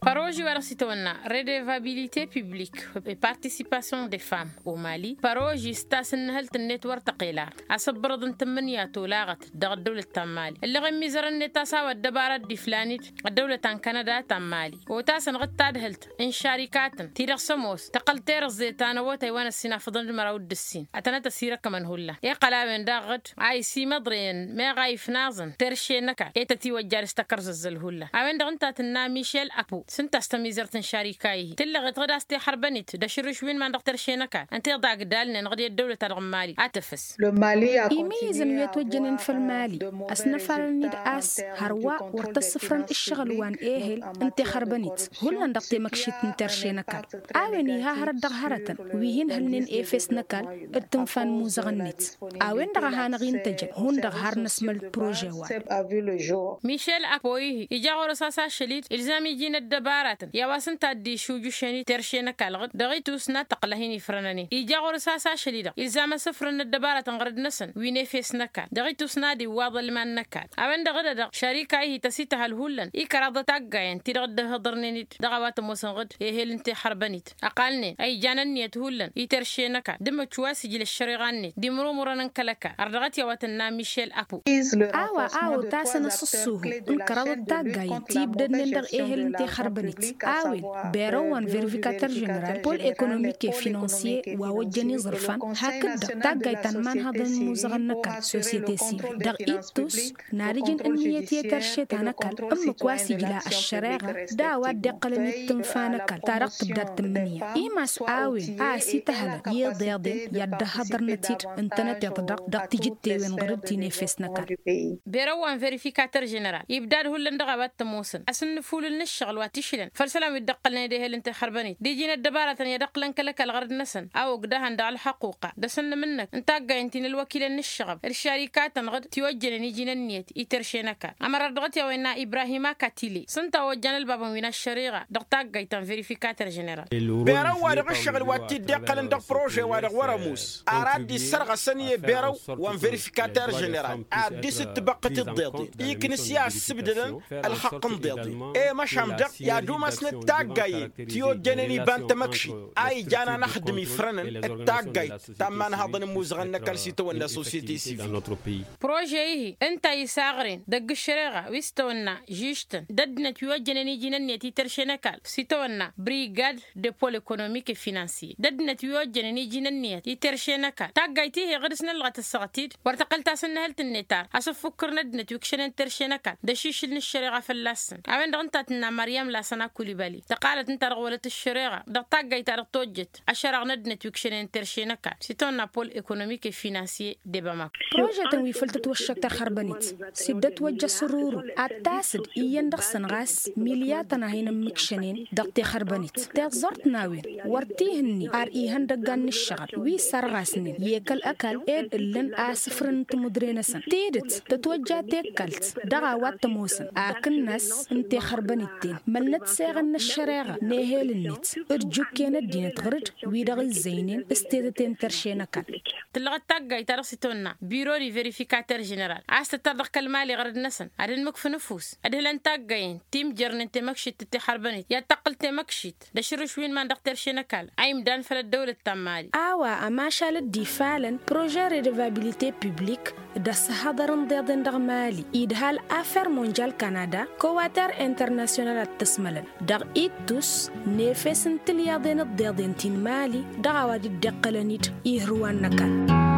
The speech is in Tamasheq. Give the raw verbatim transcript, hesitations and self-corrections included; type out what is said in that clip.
Păroži wa dăɣ-s itawănna redevabilite publik, partisipasyon de fam omali păroži s-tasǝnnǝhǝlt-net wăr tăqelar. Asǝbbărăḍ n-tǝmmǝnǝya tolaɣăt dăɣ-ăddăwlăt ta n-mali ǝlleɣ-in mizărăn-net a-s a-wa ăddăbara dd-iflan-dd ăddăwlăt ta n-kanăda ta n-mali. Otasăn ɣǝd tadhǝlt n-šarikatăn ti-dăɣ s-ămoos tăqqăl terăẓẓe ta n-awătay wa n-ăssinafăḍăn d-măraw d-ǝssin ătănăt ăsirăkămăn hullan iqqăl a-wen daɣ ɣǝd a isimăḍrăyăn meɣ a ifnaẓăn terše n-ăkall e-tătiwăjja dăɣ-s tăkărzăzzăl hullan. A-wen-dăɣ ǝnta tǝnna mišel apo s-ǝnta a-s tămizărt n-šarika-i-hi tǝllăɣet ɣǝd a-s t-ixărbăn-it d-ašǝrrǝš wi n-iman dăɣ-terše n-ăkall ǝnta iḍa agdalnen ɣǝd i-ăddăwlăt-ta-dăɣ n-mali ad-tǝfǝs. Imizăn wi ătwăjjănen făll-mali ăsnăfalăn-dd a-s hărwa wăr t-ăssǝfrăn ǝššăɣǝl wa n-ehel n-tixărbănit hullan dăɣ-temăkšit n-terše n-ăkall. A-wen iha hărăt dăɣ-hărătăn wi hin-hǝlnen efes n-ăkall d-tǝnfa n-imuzăɣăn-net. A-wen-dăɣ a hanăɣ-intăjăn hundăɣ har năsmăl prože wa. Mišel apo-i-hi ija ɣur-s a-s ašăl-dd ilzam iji n-ăddăbaratăn i-a-wa s-ǝnta a dd-išujǝšen-dd terše n-ăkall ɣǝd dăɣ-itus n-ad-tăqqǝl a hin-ifrănăn-in ija ɣur-s a-s ašăl-i-dăɣ ilzam asǝfrǝn n-ăddăbaratăn ɣărăd-năsăn wi n-efes n-ăkall dăɣ-itus n-ad-iwwăḍ ălman n-ăkall. A-wen-dăɣ dd-edăɣ šarika-i-hi tăsităhăl hullan ikăraḍăt aggayen ti-dăɣ dd-ăhhăḍărnen-dd dăɣ-a-wa t-ămoosăn ɣǝd ehel n-tixărbănit ăqalnen a ijan ǝnniyăt hullan i-terše n-ăkall d-imǝčč wa s-ijla ăššăreɣa-net d-imrumurăn n-kăl-ăkall ardăɣăt i-a-wa tǝnna mišel apo. A-wa a otasăn asǝssuhu n-kăraḍăt taggayen ti ibdădnen dăɣ-ehel n-tixărbănit a-wen berăw wa n-verifikatăr ženeral pol ekonomik e-finansye wa ojjăn iẓrǝfan hakd-dăɣ taggayt ta n-imanhăḍăn n-imuzăɣăn n-ăkall sosyete sivil dăɣ-ittus n-ad-ǝjǝn ǝnniyăt i-terše ta n-ăkall ǝmmǝk wa s-ijla ăššăreɣa d-a-wa dd-iqqălăn i-tǝnfa n-ăkall ta dăɣ-tǝbdad tǝmmǝnǝya. Imas a-wen a ăsităhălăn i-iḍeḍen i-ad-dd-ăhhăḍărnăt-dd ǝntănăteḍ-dăɣ dăɣ-tijǝttewen ɣǝr-dd ti n-efes n-ăkall. Berăw wa n-verifikatăr ženeral ibdad hullan dăɣ-a-wa t-ămoosăn asǝnnǝfulǝl n-ǝššăɣǝl wa t-išlăn făll-isălan wi dd-ăqqălnen d-ehel n-tixărbănit d-iji n-ăddăbaratăn i-ad-ăqqǝlăn kăl-ăkall ɣărăt-năsăn a ogdăhăn dăɣ-ălxăquqa d-asǝnnǝm-năk n-taggayen ti n-ălwăkilăn n-ǝššăɣăb d-šarikatăn ɣǝd tiwăjjănen iji n-ǝnniyăt i-terše n-ăkall. Ămărar dăɣ-t i-a-wa innă ibrahim akatile s-ǝnta a ojjan ălbabăn wi n-ăššăreɣa dăɣ-taggayt ta n-verifikatăr ženeral. Berăw-wa-dăɣ ǝššăɣǝl wa t-dd-iqqălăn dăɣ-prože-wa-dăɣ wăr-ămoos ar ad-dd-issărɣăsăn i-berăw wa n-verifikatăr ženeral ad-dd-isǝttǝbăqqǝt iḍeḍen iknǝs i-ad-ǝssǝbdădăn ălxăqq n-iḍeḍen. I-măšan-dăɣ i-ad-umasnăt taggayen ti ojjănen iba n-tamăkšit a ijan anăxdǝm ifrănăn d-taggayt ta n-imanhaḍăn n-imuzăɣăn n-ăkall s-itawănna sosyete sivil. Prože-i-hi ǝnta isaɣren dăgg-ǝššăreɣa wi s-tawănna žižtăn d-ăddinăt wi ojjănen iji n-ǝnniyăt i-terše n-ăkall s-itawănna brigad de pol ekonomik e-finansye d-ăddinăt wi ojjănen iji n-ǝnniyăt i-terše n-ăkall taggayt-i-hi ɣǝd-s năllăɣăt ăssaɣăt-dd wăr tăqqăl tasǝnnǝhǝlt-net ar asǝffukkǝr n-ăddinăt wi ǝkšănen terše n-ăkall d-ašišǝl n-ǝššăreɣa fălla-săn. A-wen-dăɣ ǝnta a tǝnna măryam lasăn akulibali tăqqalăt ǝnta-dăɣ wălăt ǝššăreɣa dăɣ-taggayt-ta-dăɣ tojjăt ašăraɣ n-ăddinăt wi ǝkšănen terše n-ăkall s-itawănna pol ekonomik e-finansye d-ebăma. Prožetăn wi făl tătwăššăk tixărbănit s-dd-ătwăjja s-ăruru ad-tasǝd iyyăn dăɣ-săn ɣas milyatăn a hin-ǝmmǝkšănen dăɣ-tixărbănit tiẓẓurt n-a-wen wăr t-ihǝnni ar ihăndăggan n-ǝššăɣǝl wi sărɣasnen i-kăl-ăkall ed ǝllăn asǝfrǝn n-timǝdre-năsăn tidǝt tătwăjja tekkalt dăɣ-a-wa t-ămoosăn akǝnnas n-tixărbănit-ten mălnăt seɣăn n-ăššăreɣa n-ehel-net d-jukken ăddinăt ɣǝr-dd wi-dăɣ ǝzzăynen s-tetăte n-terše n-ăkall. Tǝllăɣăt taggayt ta dăɣ-s itawănna biro di verifikatăr ženeral a-s tǝttar dăɣ-kăl-mali ɣărăd-năsăn ad-ănmǝkfǝn ăfuss ădhǝlăn taggayen ti imjărnen temăkšit d-tixărbănit i-ad-tăqqǝl temăkšit d-ašǝrrǝš wi n-iman dăɣ-terše n-ăkall a imdan făll-ăddăwlăt ta n-mali. A-wa ămašal dd-ifalăn prože redevabilite publik d-ăssăhăḍăr n-iḍeḍen dăɣ-mali idhal afer monjal kanada kowater internasyonal ad-t-ăsmălăn dăɣ-ittus n-efes n-tilyaḍen d-iḍeḍen ti n-mali dăɣ-a-wa dd-iqqălăn-dd ihǝrwan n-ăkall.